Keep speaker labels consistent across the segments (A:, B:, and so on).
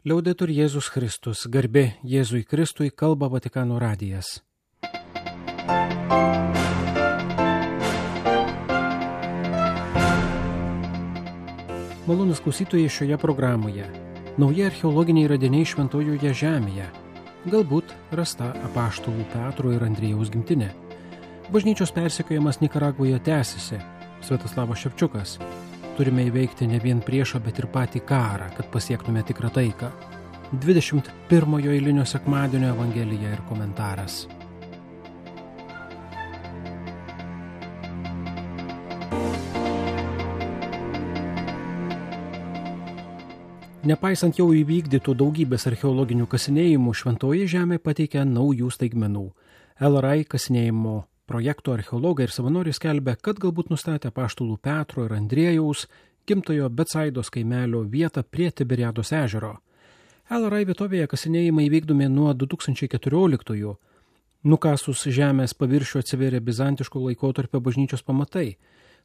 A: Liaudetur Jėzus Kristus, garbė Jėzui Kristui, kalba Vatikano radijas. Malonūs klausytojai, šioje programoje nauji archeologiniai radiniai Šventojoje žemėje, galbūt rasta apaštalų Petro ir Andriejaus gimtinė. Bažnyčios persekiojimas Nikaragvoje tęsiasi, Sviatoslavas Ševčiukas. Turime įveikti ne vien priešą, bet ir patį karą, kad pasiektume tikrą taiką. 21 eilinio sekmadienio evangelija ir komentaras. Nepaisant jau įvykdytų daugybės archeologinių kasinėjimų, Šventoji žemė pateikia naujų staigmenų. LRI kasinėjimo projekto archeologai ir savanoriai skelbia, kad galbūt nustatė apaštalų Petro ir Andriejaus gimtojo Betsaidos kaimelio vietą prie Tiberiados ežero. LRI vietovėje kasinėjimai vykdomi nuo 2014-ųjų. Nukasus žemės paviršių atsivėrė bizantiško laikotarpio bažnyčios pamatai,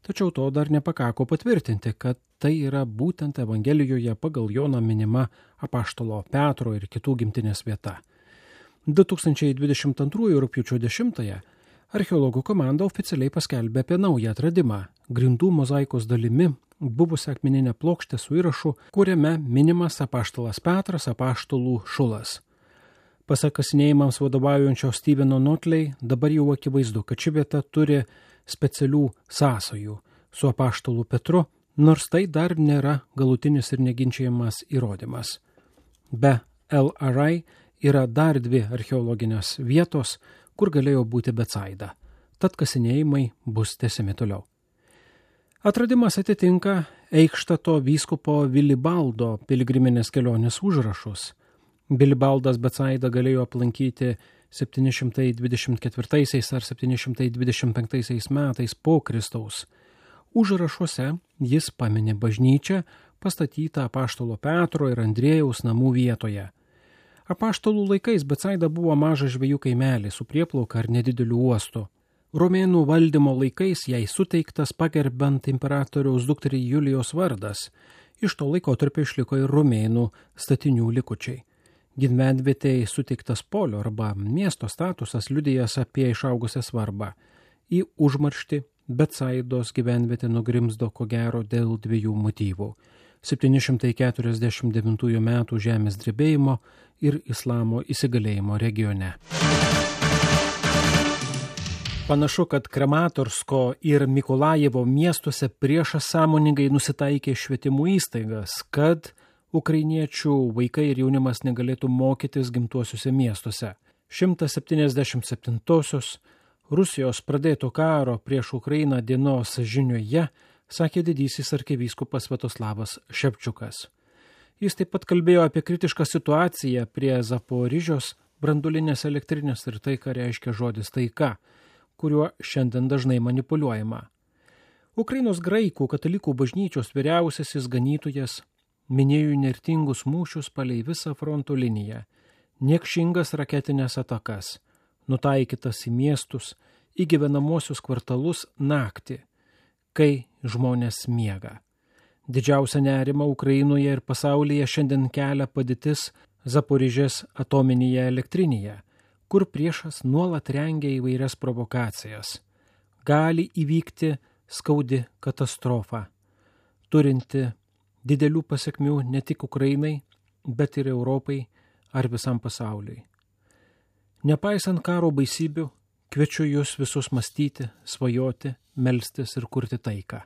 A: tačiau to dar nepakako patvirtinti, kad tai yra būtent Evangelijoje pagal Joną minima apaštalo Petro ir kitų gimtinės vieta. 2022 rugpjūčio 10-ąją archeologų komanda oficialiai paskelbė apie naują atradimą – grindų mozaikos dalimi buvusią akmeninę plokštę su įrašu, kuriame minimas apaštalas Petras, apaštalų Šulas. Pasak kasinėjimams vadovaujančio Steveno Notley, dabar jau akivaizdu, kad ši vieta turi specialių sąsajų su apaštalu Petru, nors tai dar nėra galutinis ir neginčiamas įrodymas. Be LRI yra dar dvi archeologinės vietos, kur galėjo būti Betsaida, tad kasinėjimai bus tęsiami toliau. Atradimas atitinka Eichštato vyskupo Vilibaldo piligriminės kelionės užrašus. Vilibaldas Betsaidą galėjo aplankyti 724 ar 725 metais po Kristaus. Užrašuose jis pamini bažnyčią pastatytą apaštalo Petro ir Andriejaus namų vietoje. Apaštalų laikais Betsaida buvo mažas žvejų kaimelis su prieplauka ar nedideliu uostu. Romėnų valdymo laikais jai suteiktas pagerbent imperatoriaus dukterį Julijos vardas. Iš to laikotarpio išliko ir romėnų statinių likučiai. Gyvenvietei suteiktas polio arba miesto statusas liudijas apie išaugusią svarbą. Į užmarštį Betsaidos gyvenvietė nugrimzdo ko gero dėl dviejų motyvų – 749 metų žemės drebėjimo ir islamo įsigalėjimo regione. Panašu, kad Kramatorsko ir Mikolajevo miestuose priešas sąmoningai nusitaikė švietimo įstaigas, kad ukrainiečių vaikai ir jaunimas negalėtų mokytis gimtuosiuose miestuose. 177-osios Rusijos pradėto karo prieš Ukrainą dienos žinioje sakė didysis arkivyskupas Sviatoslavas Ševčiukas. Jis taip pat kalbėjo apie kritišką situaciją prie Zaporižios branduolinės elektrinės ir tai, ką reiškia žodis taika, kuriuo šiandien dažnai manipuliuojama. Ukrainos graikų katalikų bažnyčios vyriausiasis ganytojas minėjo įnirtingus mūšius palei visą fronto liniją, niekšingas raketinės atakas, nutaikytas į miestus, į gyvenamosius kvartalus naktį, kai žmonės miega. Didžiausia nerima Ukrainoje ir pasaulyje šiandien kelia padėtis Zaporižės atominėje elektrinėje, kur priešas nuolat rengia įvairias provokacijas. Gali įvykti skaudi katastrofa, turinti didelių pasekmių ne tik Ukrainai, bet ir Europai ar visam pasauliui. Nepaisant karo baisybių, kviečiu jūs visus mąstyti, svajoti, melstis ir kurti taiką.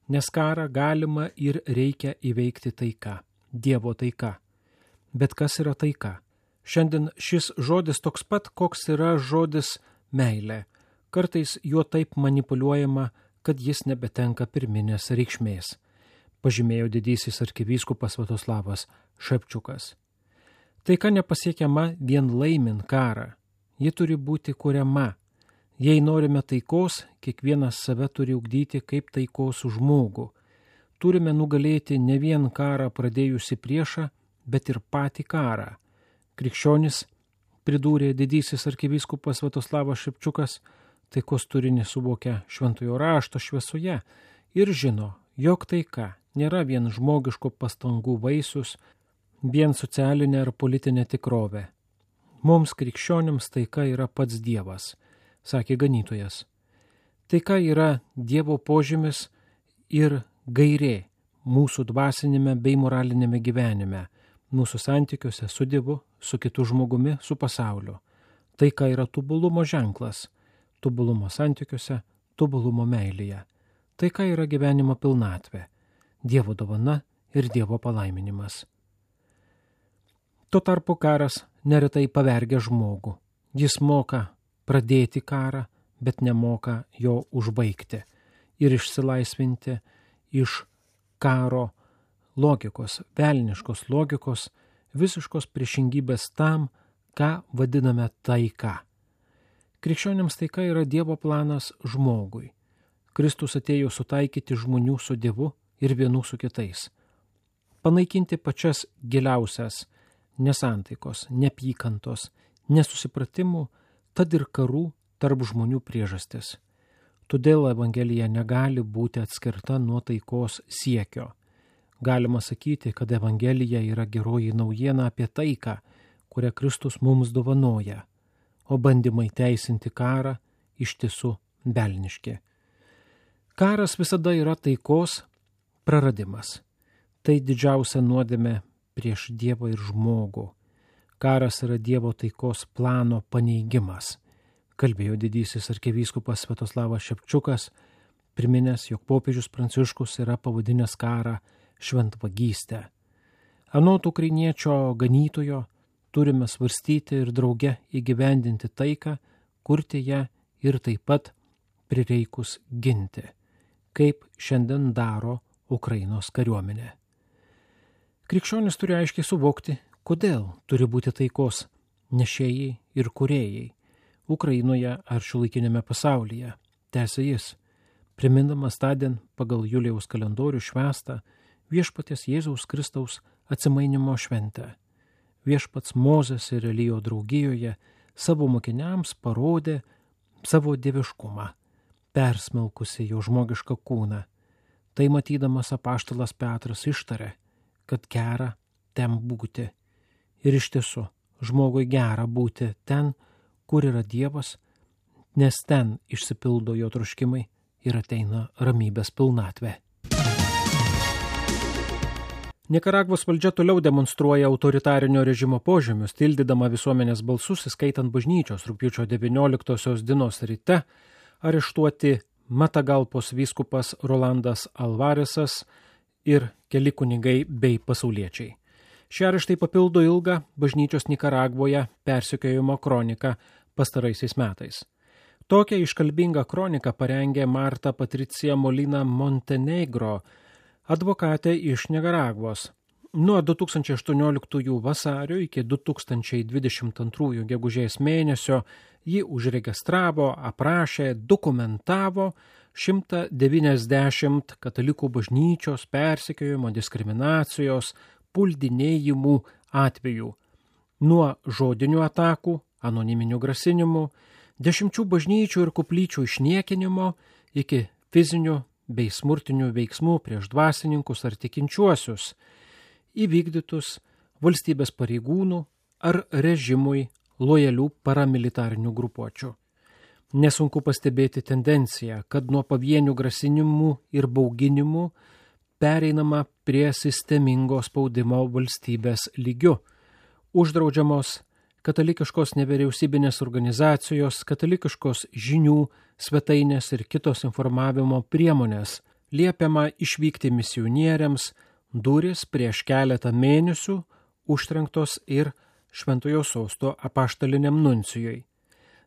A: Nes karą galima ir reikia įveikti taika, Dievo taika. Bet kas yra taika? Šiandien šis žodis toks pat, koks yra žodis meilė. Kartais juo taip manipuliuojama, kad jis nebetenka pirminės reikšmės, pažymėjo didysis arkivyskupas Sviatoslavas Ševčiukas. Taika nepasiekiama vien laimint karą. Ji turi būti kuriama. Jei norime taikos, kiekvienas save turi ugdyti kaip taikos žmogų. Turime nugalėti ne vien karą pradėjusi priešą, bet ir patį karą. Krikščionis, pridūrė didysis arkivyskupas Sviatoslavas Ševčiukas, taikos turinį suvokia šventojo rašto šviesoje ir žino, jog taika nėra vien žmogiško pastangų vaisius, vien socialinė ar politinė tikrovė. Mums krikščionims taika yra pats Dievas, sakė ganytojas. Taika yra Dievo požymis ir gairė mūsų dvasinėme bei moralinėme gyvenime, mūsų santykiuose su Dievu, su kitu žmogumi, su pasauliu. Taika yra tobulumo ženklas, tobulumo santykiuose, tobulumo meilėje. Taika yra gyvenimo pilnatvė, Dievo dovana ir Dievo palaiminimas. Tuo tarpu karas neretai pavergia žmogų. Jis moka pradėti karą, bet nemoka jo užbaigti ir išsilaisvinti iš karo logikos, velniškos logikos, visiškos priešingybės tam, ką vadiname taika. Krikščionims taika yra Dievo planas žmogui. Kristus atėjo sutaikyti žmonių su Dievu ir vienų su kitais. Panaikinti pačias giliausias nesantaikos, neapykantos, nesusipratimų, tad ir karų tarp žmonių priežastis. Todėl Evangelija negali būti atskirta nuo taikos siekio. Galima sakyti, kad Evangelija yra geroji naujiena apie taiką, kurią Kristus mums dovanoja, o bandymai teisinti karą iš tiesų velniški. Karas visada yra taikos praradimas. Tai didžiausia nuodėmė prieš Dievą ir žmogų. Karas yra Dievo taikos plano paneigimas, kalbėjo didysis arkivyskupas Sviatoslavas Šepčiukas, priminęs, jog popiežius Pranciškus yra pavadinęs karą šventvagystę. Anot ukrainiečio ganytojo turime svarstyti ir drauge įgyvendinti taiką, kurti ją ir taip pat prireikus ginti, kaip šiandien daro Ukrainos kariuomenė. Krikščionis turi aiškiai suvokti, kodėl turi būti taikos nešėjai ir kūrėjai Ukrainoje ar šiuolaikinėme pasaulyje, tęsė jis, primindamas tądien pagal Julijaus kalendorių švęstą Viešpaties Jėzaus Kristaus atsimainymo šventę. Viešpats Mozės ir Elijo draugijoje savo mokiniams parodė savo dieviškumą, persmelkusi jo žmogišką kūną. Tai matydamas apaštalas Petras ištarė, kad gera ten būti. Ir iš tiesų, žmogui gera būti ten, kur yra Dievas, nes ten išsipildo jo troškimai ir ateina ramybės pilnatvė. Nikaragvos valdžia toliau demonstruoja autoritarinio režimo požymius, tildydama visuomenės balsus, įskaitant bažnyčios rugpjūčio 19 dienos ryte areštuoti Matagalpos vyskupas Rolandas Alvaresas ir keli kunigai bei pasauliečiai. Šie areštai papildo ilgą bažnyčios Nikaragvoje persekiojimo kroniką pastaraisiais metais. Tokią iškalbingą kroniką parengė Marta Patricija Molina Montenegro, advokatė iš Nikaragvos. Nuo 2018 vasario iki 2022 gegužės mėnesio ji užregistravo, aprašė, dokumentavo 190 katalikų bažnyčios persekiojimo, diskriminacijos, puldinėjimų atvejų. Nuo žodinių atakų, anoniminių grasinimų, 10 bažnyčių ir koplyčių išniekinimo iki fizinių bei smurtinių veiksmų prieš dvasininkus ar tikinčiuosius, įvykdytus valstybės pareigūnų ar režimui lojalių paramilitarinių grupuočių. Nesunku pastebėti tendenciją, kad nuo pavienių grasinimų ir bauginimų pereinama prie sistemingo spaudimo valstybės lygiu. Uždraudžiamos katalikiškos nevyriausybinės organizacijos, katalikiškos žinių, svetainės ir kitos informavimo priemonės, liepiama išvykti misionieriams, durys prieš keletą mėnesių užtrenktos ir Šventojo sosto apaštaliniam nuncijui.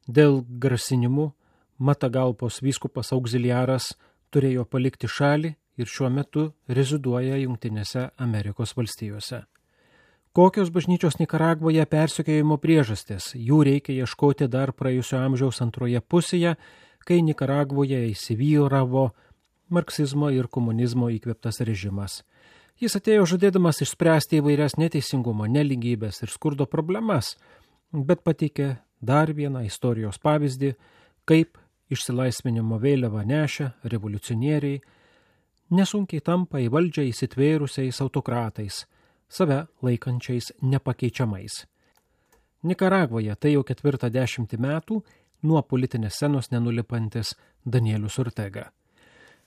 A: Dėl grasinimų Matagalpos vyskupas auxiliaras turėjo palikti šalį ir šiuo metu reziduoja Jungtinėse Amerikos valstijose. Kokios bažnyčios Nikaragvoje persekiojimo priežastis? Jų reikia ieškoti dar praėjusio amžiaus antroje pusėje, kai Nikaragvoje įsivyravo marksizmo ir komunizmo įkvėptas režimas. Jis atėjo žadėdamas išspręsti įvairias neteisingumo, nelygybės ir skurdo problemas, bet pateikė dar vieną istorijos pavyzdį, kaip išsilaisvinimo vėliavą nešę revoliucionieriai nesunkiai tampa į valdžią įsitvėrusiais autokratais, save laikančiais nepakeičiamais. Nikaragvoje tai jau 40 metų nuo politinės scenos nenulipantis Danielius Ortega.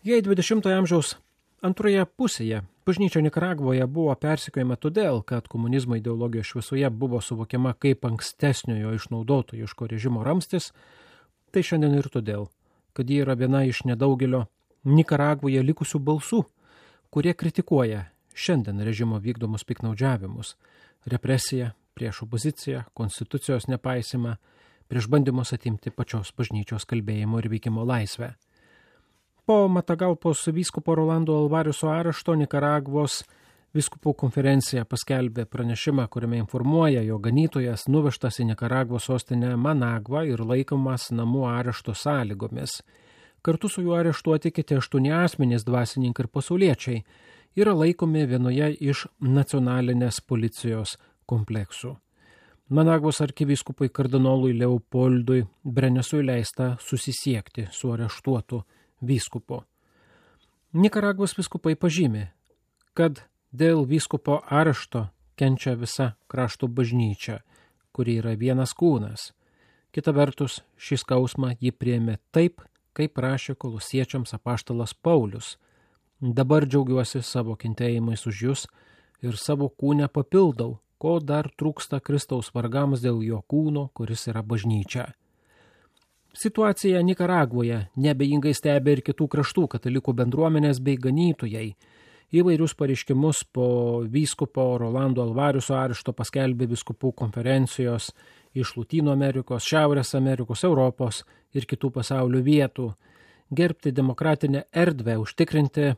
A: Jei 20-ojo amžiaus antroje pusėje bažnyčia Nikaragvoje buvo persekiojama todėl, kad komunizmo ideologijos šviesoje buvo suvokiama kaip ankstesniojo išnaudotojiško režimo ramstis, tai šiandien ir todėl, kad ji yra viena iš nedaugelio Nikaragvoje likusių balsų, kurie kritikuoja šiandien režimo vykdomus piknaudžiavimus, represiją, prieš opoziciją, konstitucijos nepaisimą, prieš bandymus atimti pačios bažnyčios kalbėjimo ir veikimo laisvę. Po Matagalpos vyskupo Rolando Alvariuso arešto Nikaragvos vyskupų konferencija paskelbė pranešimą, kuriame informuoja, jog ganytojas nuvežtas į Nikaragvos sostinę Managvą ir laikomas namų arešto sąlygomis. Kartu su juo areštuoti kiti 8 asmenys, dvasininkai ir pasauliečiai, yra laikomi vienoje iš nacionalinės policijos kompleksų. Managvos arkivyskupui kardinolui Leopoldui Brenesui leista susisiekti su areštuotu vyskupu. Nikaragvos vyskupai pažymi, kad dėl vyskupo arešto kenčia visa krašto bažnyčia, kuri yra vienas kūnas. Kita vertus, šį skausmą ji priėmė taip, kaip rašė kolosiečiams apaštalas Paulius. Dabar džiaugiuosi savo kentėjimais už jus ir savo kūnę papildau, ko dar trūksta Kristaus vargams dėl jo kūno, kuris yra bažnyčia. Situaciją Nikaragvoje nebejingai stebi ir kitų kraštų katalikų bendruomenės bei ganytojai. Įvairius pareiškimus po vyskupo Rolando Alvariuso arešto paskelbė vyskupų konferencijos iš Lotynų Amerikos, Šiaurės Amerikos, Europos ir kitų pasaulio vietų. Gerbti demokratinę erdvę, užtikrinti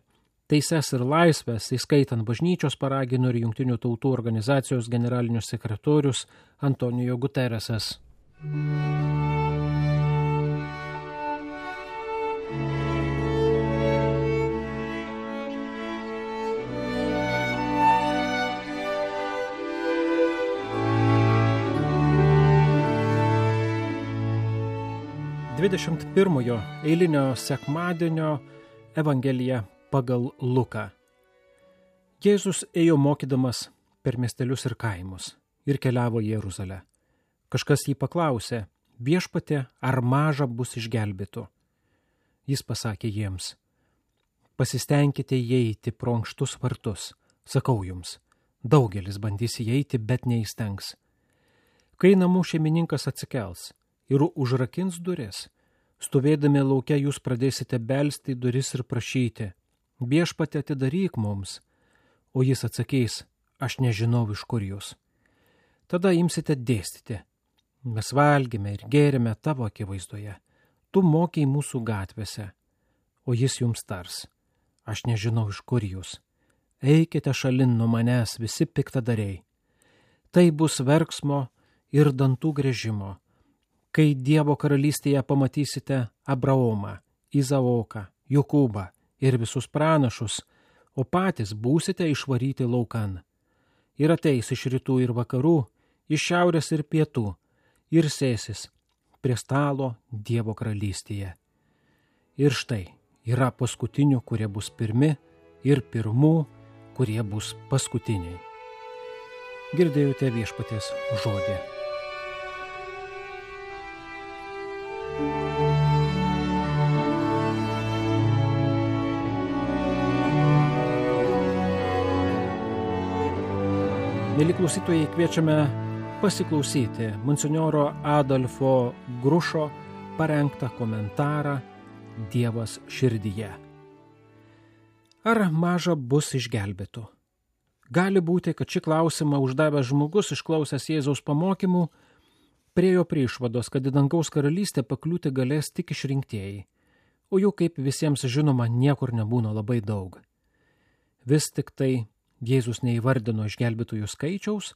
A: teises ir laisvės, įskaitant bažnyčios paragino ir Jungtinių tautų organizacijos generalinius sekretorius Antonijo Guteresas. Pirmojo eilinio sekmadienio Evangelija pagal Luką. Jėzus ėjo mokydamas per miestelius ir kaimus ir keliavo į Jeruzalę. Kažkas jį paklausė, viešpatie, ar maža bus išgelbėtų? Jis pasakė jiems, pasistengkite įeiti pro ankštus vartus. Sakau jums, daugelis bandys įeiti, bet neįstengs. Kai namų šeimininkas atsikels ir užrakins duris, stovėdami lauke jūs pradėsite belsti į duris ir prašyti, viešpatie atidaryk mums, o jis atsakys, aš nežinau iš kur jūs. Tada imsite dėstyti, mes valgėme ir gėrėme tavo akivaizdoje, tu mokiai mūsų gatvėse, o jis jums tars, aš nežinau iš kur jūs, eikite šalin nuo manęs visi piktadariai. Tai bus verksmo ir dantų gręžimo, kai Dievo karalystėje pamatysite Abraomą, Izaoką, Jokūbą ir visus pranašus, o patys būsite išvaryti laukan. Ir ateis iš rytų ir vakarų, iš šiaurės ir pietų, ir sėsis prie stalo Dievo karalystėje. Ir štai yra paskutinių, kurie bus pirmi, ir pirmų, kurie bus paskutiniai. Girdėjote viešpaties žodį. Mieli klausytojai, kviečiame pasiklausyti monsinjoro Adolfo Grušo parengtą komentarą Dievas širdyje. Ar maža bus išgelbėtų? Gali būti, kad šį klausimą uždavęs žmogus, išklausęs Jėzaus pamokymų, priėjo prie išvados, kad į dangaus karalystę pakliūti galės tik išrinktieji, o jų, kaip visiems žinoma, niekur nebūna labai daug. Vis tik tai Jėzus neįvardino išgelbėtųjų skaičiaus,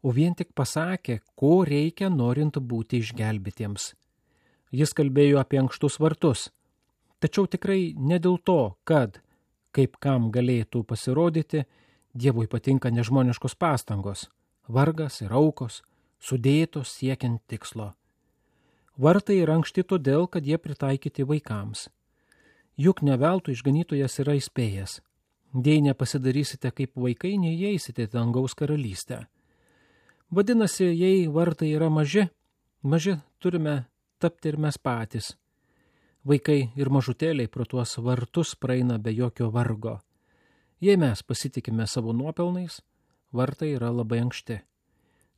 A: o vien tik pasakė, ko reikia norint būti išgelbėtiems. Jis kalbėjo apie ankštus vartus, tačiau tikrai ne dėl to, kad, kaip kam galėtų pasirodyti, Dievui patinka nežmoniškos pastangos, vargas ir aukos, sudėtos siekiant tikslo. Vartai yra ankšti todėl, kad jie pritaikyti vaikams. Juk ne veltui išganytojas yra įspėjęs. Jei nepasidarysite kaip vaikai, neįeisite į dangaus karalystę. Vadinasi, jei vartai yra maži turime tapti ir mes patys. Vaikai ir mažutėliai pro tuos vartus praeina be jokio vargo. Jei mes pasitikime savo nuopelnais, vartai yra labai ankšti.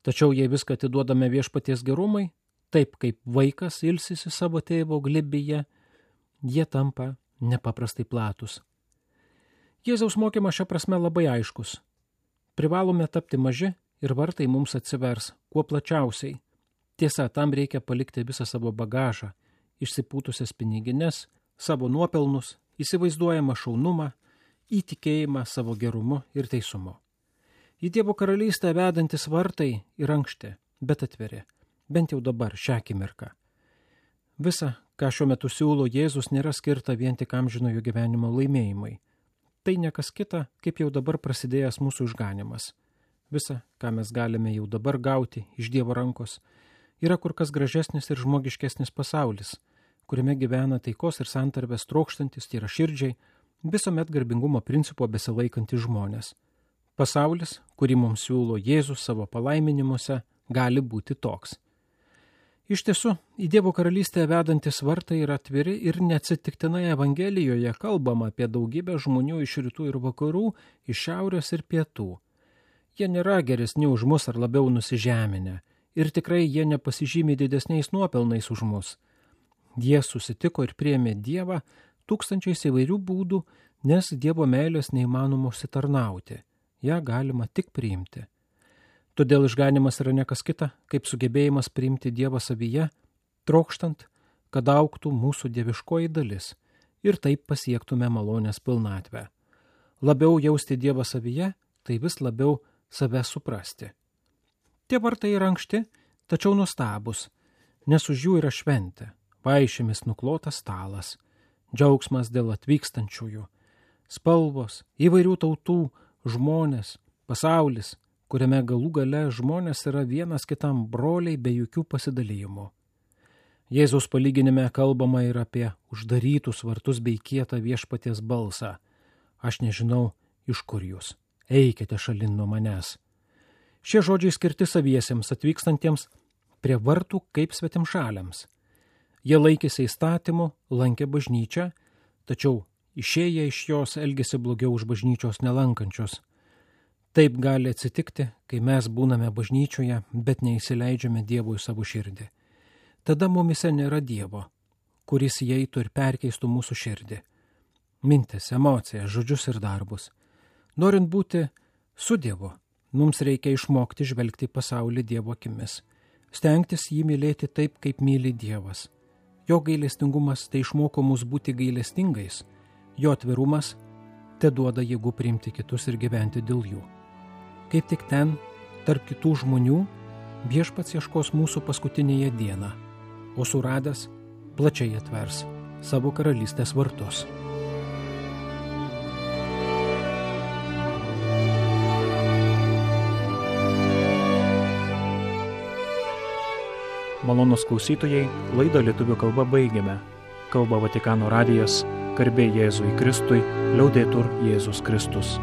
A: Tačiau jei viską atiduodame viešpaties gerumai, taip kaip vaikas ilsisi savo tėvo glėbyje, jie tampa nepaprastai platus. Jėzaus mokymas šia prasme labai aiškus. Privalome tapti maži ir vartai mums atsivers kuo plačiausiai. Tiesa, tam reikia palikti visą savo bagažą, išsipūtusias pinigines, savo nuopelnus, įsivaizduojamą šaunumą, įtikėjimą savo gerumu ir teisumu. Į Dievo karalystę vedantis vartai yra ankšti, bet atviri, bent jau dabar, šią akimirką. Visa, ką šiuo metu siūlo Jėzus, nėra skirta vien tik amžinojo gyvenimo laimėjimui. Tai ne kas kita, kaip jau dabar prasidėjęs mūsų išganimas. Visa, ką mes galime jau dabar gauti iš Dievo rankos, yra kur kas gražesnis ir žmogiškesnis pasaulis, kuriame gyvena taikos ir santarvės trokštantis, tyraširdžiai, visuomet garbingumo principo besilaikantis žmonės. Pasaulis, kurį mums siūlo Jėzus savo palaiminimuose, gali būti toks. Iš tiesų, į Dievo karalystę vedantis vartai yra atviri ir neatsitiktinai Evangelijoje kalbama apie daugybę žmonių iš rytų ir vakarų, iš šiaurės ir pietų. Jie nėra geresni už mus ar labiau nusižeminę. Ir tikrai jie nepasižymi didesniais nuopelnais už mus. Jie susitiko ir priėmė Dievą tūkstančiais įvairių būdų, nes Dievo meilės neįmanoma užsitarnauti. Ja galima tik priimti. Todėl išganimas yra nekas kita, kaip sugebėjimas priimti Dievą savyje, trokštant, kad augtų mūsų dieviškoji dalis ir taip pasiektume malonės pilnatvę. Labiau jausti Dievą savyje, tai vis labiau save suprasti. Tie vartai yra ankšti, tačiau nuostabus, nes už jų yra šventė, vaišėmis nuklotas stalas, džiaugsmas dėl atvykstančiųjų, spalvos, įvairių tautų, žmonės, pasaulis, kuriame galų gale žmonės yra vienas kitam broliai be jokių pasidalijimų. Jėzaus palyginime kalbama ir apie uždarytus vartus bei kietą viešpaties balsą. Aš nežinau, iš kur jūs. Eikite šalin nuo manęs. Šie žodžiai skirti saviesiems atvykstantiems prie vartų kaip svetimšaliams. Jie laikėsi įstatymų, lankė bažnyčią, tačiau išėję iš jos elgėsi blogiau už bažnyčios nelankančios. Taip gali atsitikti, kai mes būname bažnyčioje, bet neįsileidžiame Dievui savo širdį. Tada mumise nėra Dievo, kuris įeitų ir perkeistų mūsų širdį. Mintis, emocijas, žodžius ir darbus. Norint būti su Dievu, mums reikia išmokti žvelgti pasaulį Dievo akimis, stengtis jį mylėti taip, kaip myli Dievas. Jo gailestingumas tai išmoko mus būti gailestingais, jo atvirumas te duoda jėgų priimti kitus ir gyventi dėl jų. Kaip tik ten, tarp kitų žmonių, viešpats ieškos mūsų paskutinėje dieną, o suradęs plačiai atvers savo karalystės vartus.
B: Malonūs klausytojai, laidą lietuvių kalba baigėme. Kalba Vatikano radijas, garbė Jėzui Kristui, liaudetur Jėzus Kristus.